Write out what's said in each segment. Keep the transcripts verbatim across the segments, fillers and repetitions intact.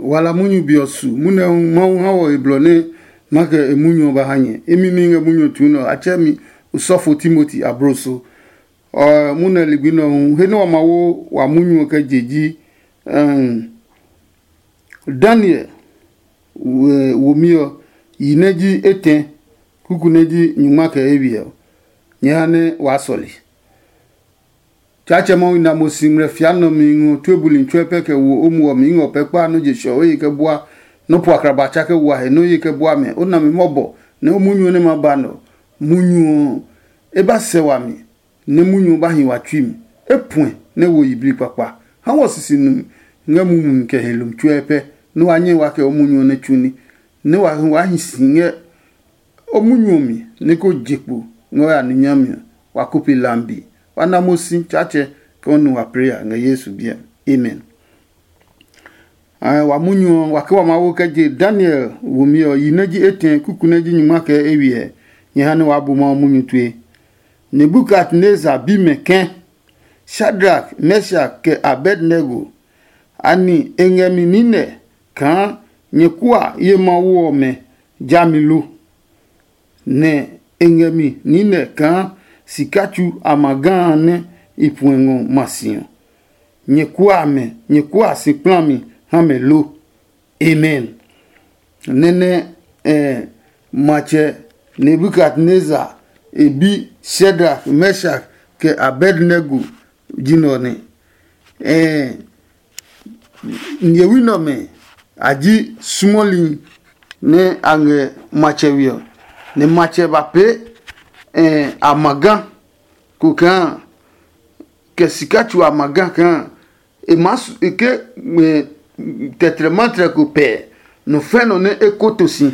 Wala munyu be ɔ su munɛ hu Mawu ha wɔ e blɔ nɛ ma kɛ e munyu ɔ ba ha nyɛ. Imi ní ngɛ munyu ɔ tuu nɛ ɔ, a tsɛ mi osɔfo Timoti abloso. Ɔ munɛ ligbi nɛ ɔ hu he nɛ wa ma wo wa munyu ɔ kɛ je ji, um, Daniel womi ɔ, yi nɛ ji etɛ, kuku nɛ ji nyungma kɛ eywiɛ ɔ, nyɛ ha nɛ waa sɔle. Tsaatsɛ Mawu na mo si ngmlɛ fia nɔ mi ngɔ tue buli tsuɛ pɛ kɛ wo o muɔ mi ngɔ pɛ kpa nɔ je shɔ o ye kɛ bua nɔ po akraba tsa kɛ wa he nɔ ye kɛ bua mɛ. O na mi mɔbɔ nɛ o munyu nɛ ma ba nɔ munyu ɔ, e ba sɛ wami nɛ munyu ɔ ba hi wa tsui mi. E puɛ nɛ wo yiblii kpakpa. Ha wɔ sisi nu ngɛ mumi kɛ he lumi tsuɛ pɛ nɛ wa nyɛ wa kɛ o munyu ɔ nɛ tsu ní, nɛ wa hi si ngɛ o munyu ɔ mi nɛ ko je kpo ngɛ o ya ní nyami ɔ, wa ko pe lambi. Wa na mo si Tsaatsɛ kɛ o nu wa pee ya ngɛ Yesu biɛ mi. Amen. Wa munyu ɔ, wa kɛ wa Mawu kɛ je Daniel womi ɔ, yi nɛ ji etɛ, kuku nɛ ji nyungma kɛ eywiɛ, nyɛ ha nɛ waa bu Mawu munyu tue. Nebukadnezar bi mɛ ke, Shadrak, Meshak, kɛ Abednego, anɛ e ngɛ mi nine kaa nyɛ kua ye mawu ɔmɛ jami lo? Nɛ e ngɛ mi nine kaa sika tsu amaga a nɛ i puɛ ngɔ ma si ɔ, nyɛ kua amɛ, nyɛ kua si kplami ha mɛ lo? Amen. Nɛnɛ eh, matsɛ Nebukadnezar e bi Shadrak, Meshak, kɛ Abednego ji nɛ ɔ nɛ. Eh, nyɛwi nɛ ɔmɛ a ji sumɔli nɛ a ngɛ matsɛ we ɔ, nɛ matsɛ ba pee eh, amaga ko kaa kɛ sika tsu amaga kaa e maa su e ke ngmɛ tɛtrɛmatrɛ ko pɛɛ nɔ fɛ nɔ nɛ e koto si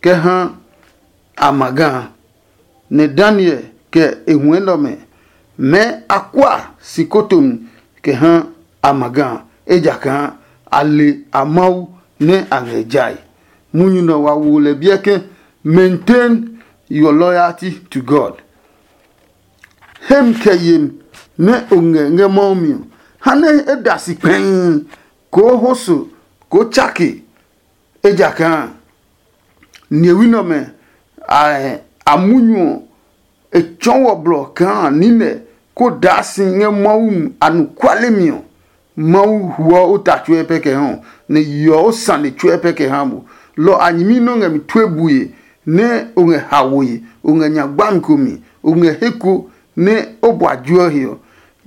kɛ ha a ma ga a. Nɛ Daniel kɛ e huɛ nɛ ɔmɛ mɛɛ a kua si kotomi kɛ ha a ma ga a, ejakaa a le a Mawu nɛ a ngɛ jae. Munyu nɛ wa wo lɛ biɛ ke, maintain your loyalty to God. Hem kɛ yem nɛ o ngɛ ngɛ Mawu mi ɔ, ha nɛ e da si kpɛii, koo ho so, koo tsake. Ejakaa nihewi nɛ ɔmɛ a munyu ɔ, e tsɔɔ wɔ blɔ kaa nine ko daa si ngɛ Mawu anɔkuale mi ɔ, Mawu huɔ o ta tsuɛ pɛ kɛ ha ɔ, nɛ yeɔ o sane tsuɛ pɛ kɛ ha mo. Lɔ a nyɛmi nɛ o ngɛ mi tue bue, nɛ o ngɛ haoe, o ngɛ nya gbami ko mi, o ngɛ he ko nɛ o bua juɛ he ɔ,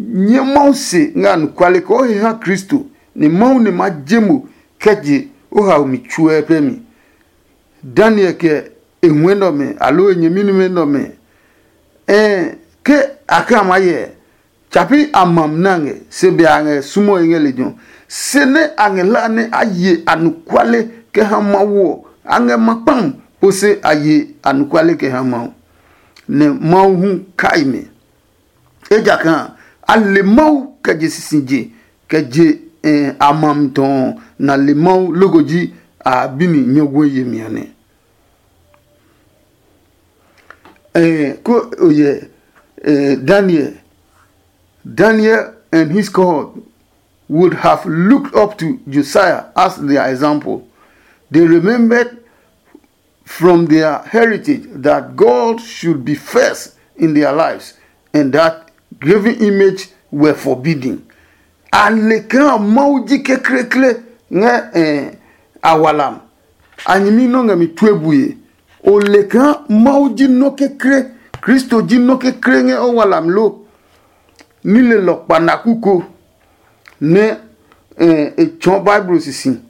nyɛ Mawu se ngɛ anɔkuale kɛ o he ha Kristo, nɛ Mawu nɛ ma je mo kɛ je o haomi tsuɛ pɛ mi. Daniel kɛ e huɛ nɛ ɔmɛ, aloo e nyɛmi nɛ ɔmɛ, ɛɛ ke a kɛ a maa hyɛ, tsapi a mam nɛ a ngɛ, se be a ngɛ sumɔe ngɛ lejɛ ɔ. Se nɛ a ngɛ hlaa nɛ a ye anɔkuale kɛ ha Mawu ɔ, a ngɛ ma kpam po se a ye anɔkuale kɛ ha Mawu, nɛ Mawu hu kai mɛ. Ejakaa a le Mawu kɛ je sisije, kɛ je a mam tɔ ɔ, na le Mawu loko ji a bi ni nyɔguɛ yemi ɔ nɛ. Eh, ko oyɛ eh, Daniel. Daniel and his cohort would have looked up to Josiah as their example. They remembered from their heritage that God should be first in their lives and that graven image were forbidden. A le kaa Mawu ji kekleekle ngɛ eh, a walam. A nyɛmi nɔ ngɛ mi tue bue. O le kaa Mawu ji nɔ kekle, Kristo ji nɔ kekle ngɛ o walam lo? Nilelɔ kpanaku ko nɛ eh, e tsɔɔ Bible sisi,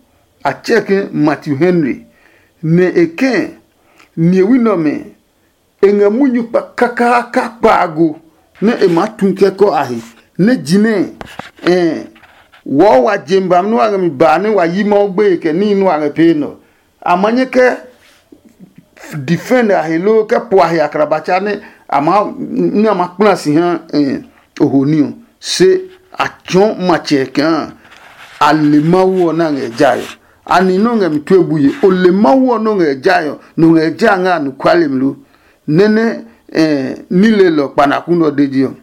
a tsɛɛ ke Matthew Henry, nɛ e kɛɛ nihewi nɛ ɔmɛ e ngɛ munyu kpa kakaaka kpaago nɛ e maa tu kɛkɔ a he, nɛ jinɛ ɛ wɔɔ wa jem bami nɛ wa ngɛ mi baa nɛ wa yi Mawu gbeye kɛ níhi nɛ wa ngɛ pee nɛ ɔ. A ma nyɛ kɛ defend a he loo kɛ po a he akrabatsa nɛ a ma nɛ a ma kpla si ha eh, ohoni ɔ. Se a tsɔɔ matsɛ kaa a le Mawu ɔ nɛ a ngɛ jae ɔ. Ani nɔ ngɛ mi tue buye, o le Mawu ɔ nɔ ngɛ jae ɔ, nɔ ngɛ ja ngɛ anɔkuale mi lo? Nɛnɛ eh, nilelɔ kpanaku nɔ de ji ɔ.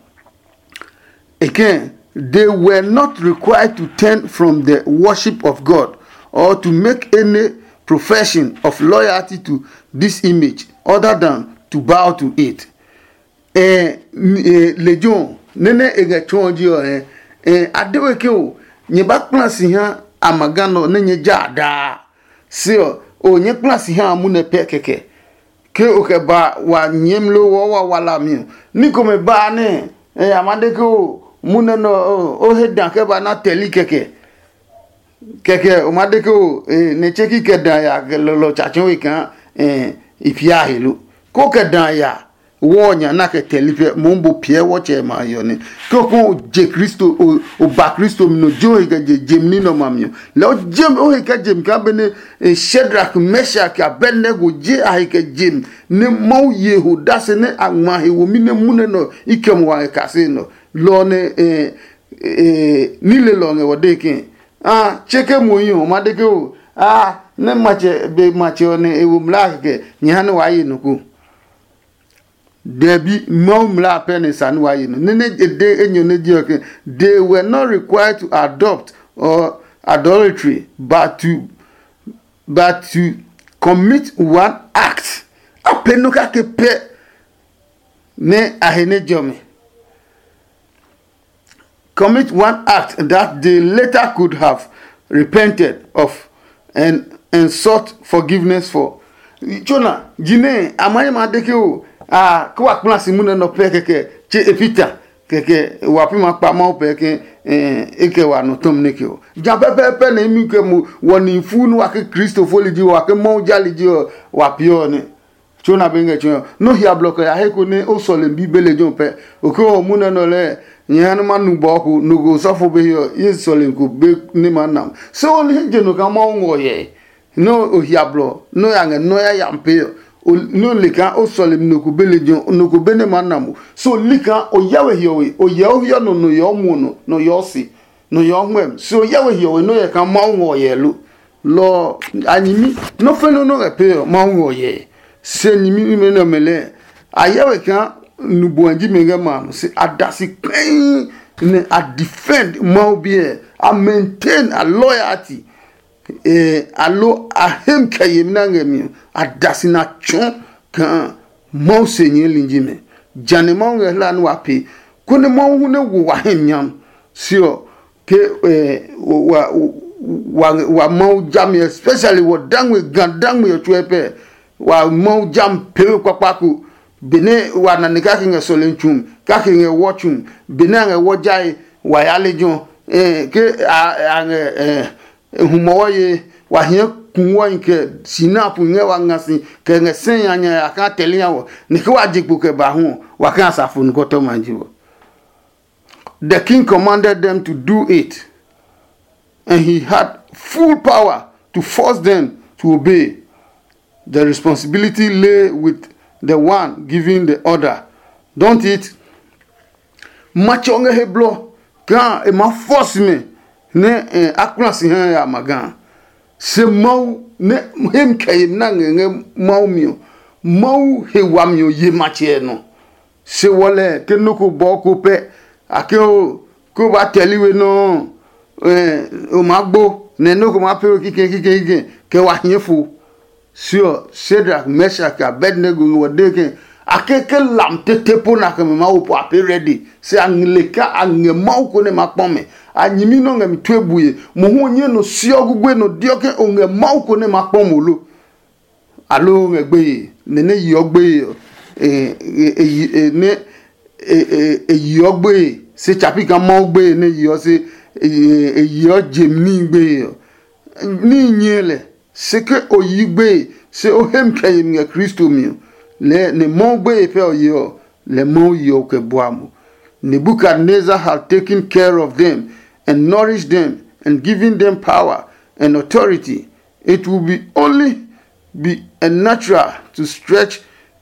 Again, they were not required to turn from the worship of God or to make any profession of loyalty to this image other than to bow to it. Eh, lejɛ ɔ, nɛnɛ e ngɛ tsuɔ ji ɔ hɛ. Eh, a de we ke o, nyɛ ba kpla si ha amaga nɔ nɛ nyɛ ja a daa. Se ɔ, o nyɛ kpla si ha amu nɛ pɛ kɛkɛ. Ke o kɛ ba wa nyɛɛm lo wɔ wa wala mi ɔ, ní komɛ ba nɛ, eh, a ma de ke o mu nɛ nɔ o he dan kɛ ba na tɛli kɛkɛ. Kɛkɛ o ma de ke o, eh, nɛ tse ki kɛ dan ya kɛ lɔlɔ tsatsɛ we kaa, eh, i pia he lo. Ko kɛ dan ya wɔ nya na kɛ tɛli pɛ mo bo piɛ wɔtsɛ ma yɔ ne. Ko ko je Kristo, o o ba Kristo mi no jo he kɛ je jem ni nɔ ma mi ɔ. Lɛ o jem o he kɛ jem ka bene, eh, Shadrach, Meshach, Abednego je a he kɛ jem ne Mawu ye ho dase ne a ngma he wo mi ne mu ne nɔ i kɛ mo wa kɛ kase nɔ. Lɔ ne, eh, eh, ni le lɔ ngɛ wɔ de ke a che ke mo yi ho ma de ke o a ne matsɛ be matsɛ ɔ ne e wo mla kɛkɛ nyɛ ha ne wa ye no ko. Dɛbi, Mawu mla a pɛ nɛ sa nɛ wa ye nɔ. Nɛ nɛ e de enyɔ nɛ je ɔ ke, they were not required to adopt or adultery, but to but to commit one act. A pɛ nɔ kake pɛ nɛ a he nɛ jɔmi. Commit one act that they later could have repented of and and sought forgiveness for. Tsona, jinɛ a ma yi ma de ke o a ke wa kpla si mu nɛ nɔ pɛ kɛkɛ che e pita kɛkɛ wa pi ma kpa Mawu pɛ ke e kɛ wa nɔ tɔm ne ke o. Ja pɛpɛɛpɛ nɛ imi ke mu wɔ ni fu nu wa ke Kristo fo li ji wa ke Mawu ja li ji wa piɔ ne. Tso na be ngɛ tso nɔ hia blɔ kɛ ya he ko ne o sɔle bi be lejɛ pɛ. O ke o mu nɛ nɔ lɛ nyɛ ha nɛ ma nu bɔ ko no ko sɔfo be hiɔ ye sɔle ko be ne ma nam. Se o ni je no ka Mawu ngɔ yɛ. Nɔ o hia blɔ nɔ ya ngɛ nɔ ya ya pe ɔ, nɔ le kaa o sɔle mi nɔ ko be lejɛ nɔ ko be ne ma nam o. So li kaa o yɛ we hiɔwe o yɛ o hiɔ nɔ nɔ yɛ o muɔ nɔ nɔ yɛ o se nɔ yɛ o hwɛm. So yɛ we hiɔwe nɔ yɛ kaa Mawu ngɔ yɛ lo. Lɔ a nyimi nɔ fɛ nɔ nɔ ngɛ pe ɔ Mawu ngɔ yɛ. Se nyimi ime nɛ mɛ lɛ a yɛ we kaa nubɔ ji mɛ ngɛ ma nɔ se a da si kpɛi nɛ a defend Mawu biɛ a maintain a loyalty. Eh, alo a hem kɛ yemi na ngɛ mi ɔ a da si na tsɔ kaa Mawu se nyɛɛ linji mɛ. Jane Mawu ngɛ hla nɛ wa pee konɛ Mawu hu nɛ wo wa hem nyam. Se ɔ ke eh, wa, wa, wa Mawu jami especially wɔ dangwe ga dangwe ɔ tsuɛ pɛ wa Mawu jam pewe kpakpa ko. Benɛ wa na ne kake ngɛ sɔlemi tsu kake ngɛ wɔ tsu benɛ a ngɛ wɔ jae wa ya lejɛ ɔ, eh, ke a a ngɛ eh, humɔwɔ ye wa hiɛ kuwɔi kɛ sinapu ngɛ wa nga si kɛ ngɛ sɛ ya nya ya ka tɛli ya wɔ. Ni ke wa je kpo kɛ ba hu ɔ, wa ka asafo nukɔtɔma ji wɔ. The king commanded them to do it, and he had full power to force them to obey. The responsibility lay with the one giving the order, don't it? Matsɛ ɔ ngɛ he blɔ kaa e maa fɔ si mɛ nɛ a kpla si ha ya ma ga. Se Mawu nɛ hem kɛ yemi na ngɛ ngɛ Mawu mi ɔ, Mawu he wami ɔ ye matsɛ ɛ nɔ. Se wɔ lɛ ke nɔ́ ko bɔɔ ko pɛ a ke o ko ba tɛli we nɔ́ ɔ, o maa gbo nɛ nɔ́ ko maa pee we kikɛ kikɛ kikɛ kɛ wa hiɛ fo. Se ɔ, Shadrak, Meshak, Abednego ngɛ wɔ de ke a ke ke lam tete po na kɛ mɛ Mawu po a pee rɛdi. Se a ngile ka a ngɛ Mawu ko nɛ ma kpɔ mɛ. A nyimi nɔ ngɛ mi tue bue. Mohu ɔ nyɛ nɔ siɔ gugue nɔ diɔ ke o ngɛ Mawu ko nɛ ma kpɔ mo lo. Alo ngɛ gbeye nɛ nɛ yeɔ gbeye ɔ, nɛ e yeɔ gbeye se tsapi kaa Mawu gbeye nɛ yeɔ se e yeɔ je mi gbeye ɔ. Ní nyɛɛ lɛ, se ke o yi gbeye se o hemi kɛ yemi ngɛ Kristo mi ɔ, lɛɛ nɛ Mawu gbeye pɛ ɔ yeɔ, lɛ Mawu yeɔ kɛ bua mo. Nebuchadnezzar had taken care of them and nourished them and given them power and authority. It will be only be a natural to stretch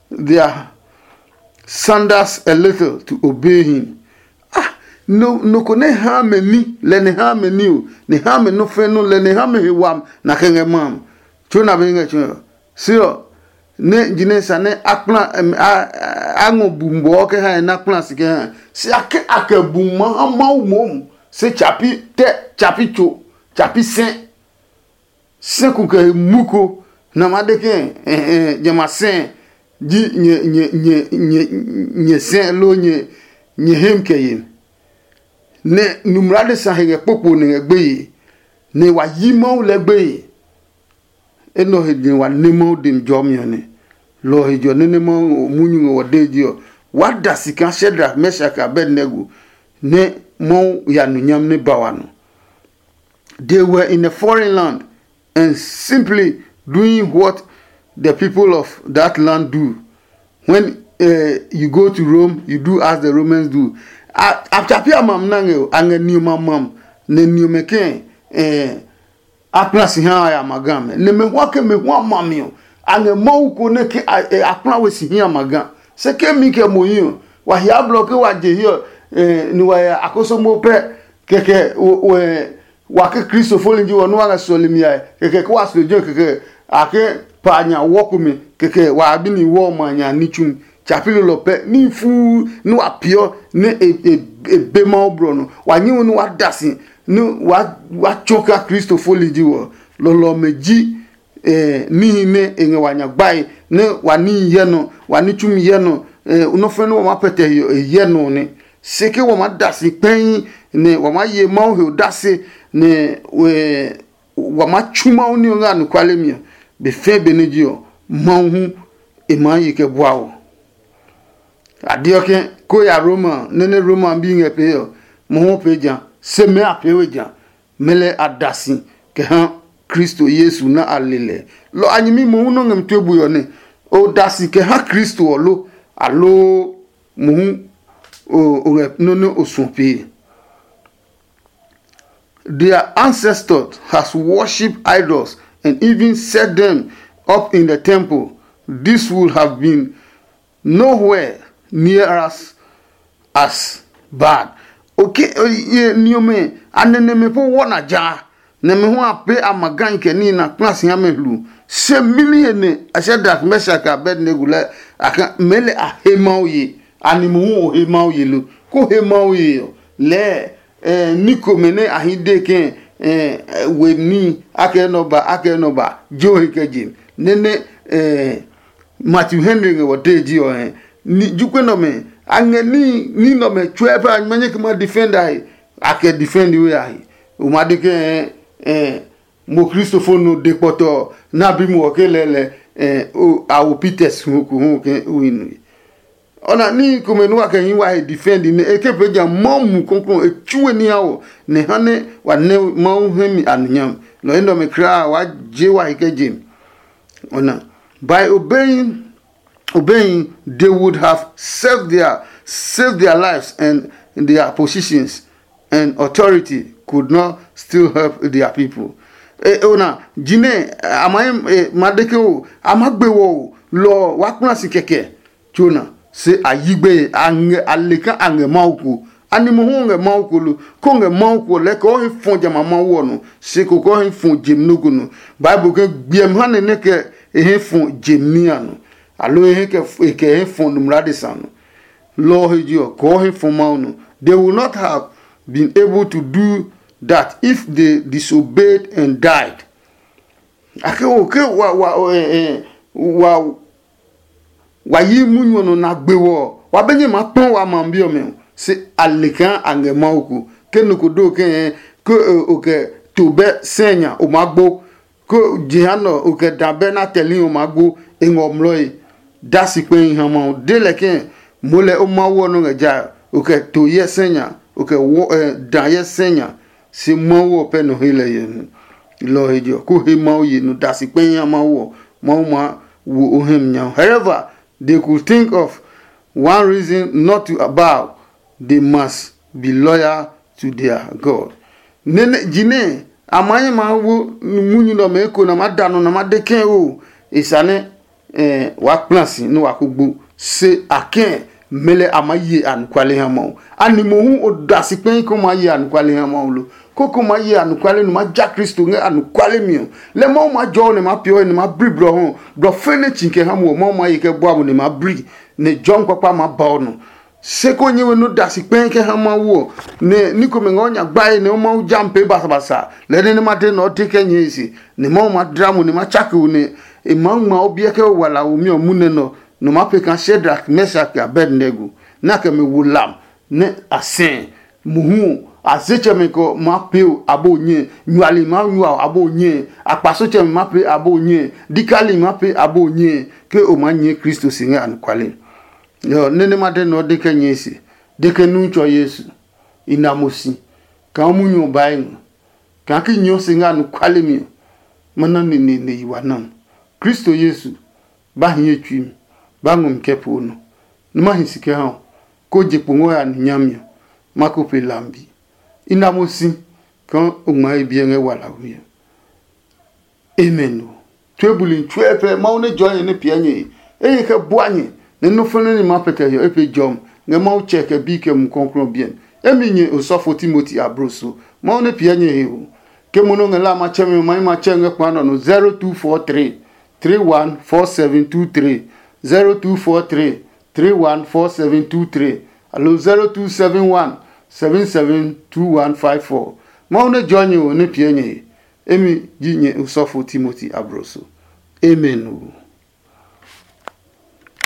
their sandals a little to obey him. Ah, no no ko ne ha me ni le ne ha me ni o, ne ha me no fe no le ne ha me he wam na ke nge mam. Cho na be nge cho. Sio ne jine sa ne akpla a ngo bumbo ke ha na kpla si ke ha. Si ake ake bum ma ha mau mom. Se chapi te chapi cho chapi se. sɛku kɛ mu ko, nɛ a ma de ke jamɛ a sɛ ji nyɛ sɛ loo nyɛ hem kɛ ye. Nɛ numla de sa he ngɛ kpokpo nɛ ngɛ gbeye, nɛ wa yi Mawu lɛ gbeye. Enɛ ɔ he din wa ne Mawu dem jɔmi ɔ nɛ. Lɔ ɔ he jɔ nɛ nɛ Mawu munyu ngɛ wɔ dee ji ɔ, wa da si kaa Shadrak, Meshak, Abednego nɛ Mawu ya nu nyam nɛ ba wa nɔ. They were in a foreign land and simply doing what the people of that land do. When uh, you go to Rome, you do as the Romans do. A tsapi a mam na ngɛ a ngɛ niɔma mam nɛ niɔmɛ kɛ eh, a kpla si ha a ya ma ga mɛ nɛ mɛ hua ke mɛ hua ma mi ɔ, a ngɛ Mawu ko nɛ ke a kpla we si hi a ma ga. Se ke mi kɛ mo hi ɔ, wa hia blɔ ke wa je hiɛ ɔ, ni wa ya akoso mo pɛ. Kɛkɛ wa ke Kristo foli ji wɔ nɛ wa ngɛ sɔlemi yae. Kɛkɛ ke wa sɔ jɔ kɛkɛ a ke pa nya wɔ komɛ. Kɛkɛ wa bi ni wɔ ma nya ni tsumi. Tsapi lolɔ pɛ ní fuu ní wa piɔ nɛ e be Mawu blɔ nɔ. Wa nyɛ̃ ní wa da si ní wa tsɔ kaa Kristo foli ji wɔ. Lɔlɔ ɔmɛ ji níhi nɛ e ngɛ wa nya gbae nɛ wa níhi hyɛ nɔ, wa ní tsumi hyɛ nɔ. Nɔ́ fɛ́ nɛ wa maa pɛtɛ he ɔ, e hyɛ nɔ nɛ. Se ke wa maa da si kpɛi nɛ wa maa ye Mawu he odase nɛ wa maa tsu Mawu ní ɔ ngɛ anɔkuale mi ɔ, be fɛɛ benɛ ji ɔ, Mawu hu e maa ye kɛ bua wɔ. A deɔ ke ko ya Roma nɛ nɛ Roma bi ngɛ pee ɔ, mohu pee ja, se mɛ a pee we ja. Mɛ lɛ a da si kɛ ha Kristo Yesu nɛ a le lɛ. Lɔ a nyɛmi mohu nɔ ngɛ mi tue bui ɔ nɛ o da si kɛ ha Kristo ɔ lo, aloo mohu o ngɛ nɔ́ nɛ o suɔ pee? Their ancestors has worshipped idols and even set them up in the temple. This would have been nowhere near as as bad. Okay, niɔmɛ a nɛnɛmɛ po wɔ na ja nɛ mɛ hu a pe a ma gan kɛ ní na kpla si ha mɛ hlu. Se mini he ne a sɛ dak mɛsa ka Abednego lɛ a ka mɛ lɛ a he Mawu ye. Ani mohu o he Mawu ye lo? Ko he Mawu ye ɔ lɛɛ ní komɛ nɛ a hi de ke we ní akɛ nɔ ba akɛ nɔ ba jo he kɛ je nɛnɛ. Matthew Henry ngɛ wɔ dee ji ɔ hɛ. Ni jukpe nɔmɛ a ngɛ ní ní nɔmɛ tsuɛ pɛ a nyɛ kɛ ma defend a he. A kɛ defend we a he. O ma de ke mo kristofo no de kpɔtɔ na bi mo ke lɛlɛ. A wo Peters hu ko hu ke win. Ɔna ní komɛ nua kɛ hi wa he defend nɛ e ke pe ja Mawu mu kɔnkɔn e tsuwe ní ha wɔ nɛ ha nɛ wa nɛ Mawu hɛ mi anunyam. Nɔ enɛ ɔmɛ kraa wa je wa he kɛ je mi. Ɔna by obeying obeying they would have saved their saved their lives and their positions and authority could not still help their people. E ona jinɛ a ma ma deke o a ma gbe wɔ o lɔ wa kpla si kɛkɛ. Tsona se a yi gbeye a ngɛ a le kaa a ngɛ Mawu ko. Ani mohu o ngɛ Mawu ko lo? Ko ngɛ Mawu ko lɛɛ kɛ o he fɔ jamɛ a Mawu ɔ nɔ, se ko kɛ o he fɔ jem nɔ́ ko nɔ. Bible ke gbiɛmi ha nɛ nɛ kɛ e he fɔ jem ní a nɔ, aloo e he kɛ e kɛ he fɔ nɔmlɔ adesa nɔ. Lɔ ɔ he je ɔ, kɛ o he fɔ Mawu nɔ. They will not have been able to do that if they disobeyed and died. Ake o ke wa wa eh, eh, wa wa yi munyu ɔ nɔ na gbe wɔ wa be nyɛ ma kpɔn wa ma bi ɔmɛ. Se a le kaa a ngɛ Mawu ko ke nɔ ko do ke ke o kɛ to bɛ sɛ nya o ma gbo ko jehanɔ o kɛ da bɛ na tɛli o ma gbo e ngɔ mlɔe. Da si kpɛhi ha Mawu de lɛ ke mo lɛ o Mawu ɔ nɔ ngɛ ja o kɛ to yɛ sɛ nya o kɛ wɔ da yɛ sɛ nya. Se Mawu ɔ pɛ nɔ he lɛ yɛ nu. Lɔ ɔ he je ɔ, ko he Mawu ye nu da si kpɛhi ha Mawu ɔ, Mawu ma wo o hɛ mi nya. However, they could think of one reason not to bow. They must be loyal to their God. Nene jinɛ a ma ye ma wo munyu nɔ mɛ eko na ma da nɔ na ma de kɛ o. E sa nɛ eh, wa kpla si nɛ wa ko gbo. Se a kɛɛ mɛ lɛ a ma ye anɔkuale ha Mawu. Ani mohu o da si kpɛhi ko ma ye anɔkuale ha Mawu lo? Ko ko ma ye anɔkuale nɛ ma ja Kristo ngɛ anɔkuale mi ɔ, lɛ Mawu ma jɔ nɛ ma piɔ nɛ ma bri blɔ hɔ. Blɔ fɛnɛ tsi kɛ ha mo ɔ, Mawu ma ye kɛ bua mo nɛ ma bri, nɛ jɔmi kpakpa ma ba ɔ nɔ. Se ko nyɛ we nɔ da si kpɛɛ kɛ ha Mawu ɔ, nɛ ní komɛ ngɛ o nya gbae nɛ o Mawu ja mi pee basabasa. Lɛɛ nɛ nɛ ma de nɛ ɔ de kɛ nyɛe se, nɛ Mawu ma dla mo nɛ ma tsake o nɛ e maa ngma o biɛ kɛ o wala womi ɔ munɛ nɔ, nɔ ma pee kaa Shadrak, Meshak, kɛ Abednego, nɛ a kɛ mɛ wo lam nɛ a sɛɛ. Mohu ɔ, a se tsɛmɛ kɛ ɔ maa pee o aboo nyɛe, nyuali maa nyua o aboo nyɛe, akpaso tsɛmɛ maa pee aboo nyɛe, dikali maa pee aboo nyɛe, ke o maa nyɛɛ Kristo si ngɛ anɔkuale. Nɛ nɛ ma de nɛ ɔ de kɛ nyɛe se, de ke nu tsɔ Yesu, i na mo si, kaa munyu ɔ baa ngɔ, kaa ki nyɛɔ se ngɛ anɔkuale mi ɔ, ma na neneene yi wa nam. Kristo Yesu, ba hi ye tsui mi, ba ngɔ mi kɛ poo nɔ, nɛ ma hi si kɛ ha ɔ, ko je kpo ngɔ ya ni nyami ɔ, ma ko pe lambi. I na mo si kaa o ngma ye biɛ ngɛ walawi ɔ. Amen o. Tue buli tsuɛ pɛ Mawu nɛ jɔɔ nyɛ nɛ piɛ nyɛ he. Eye kɛ bua nyɛ nɛ nɔ́ fɛnɛ ni ma pɛ kɛ hiɔ e pe jɔm ngɛ Mawu tsɛ kɛ bi kɛ mu kɔklɔ biɛn. Emi nyɛ osɔfo Timoti abro so. Mawu nɛ piɛ nyɛ he o. Ke mo nɔ ngɛ la matsɛmi ɔ, ma yi matsɛ ngɛ kpa nɔ no zero two four three three one four seven two three, zero two four three three one four seven two three, aloo zero two seven one seven seven two one five four. Mawu nɛ jɔɔ nyɛ o nɛ piɛ nyɛ he. Emi ji nyɛ osɔfo Timoti abro so. Amen o.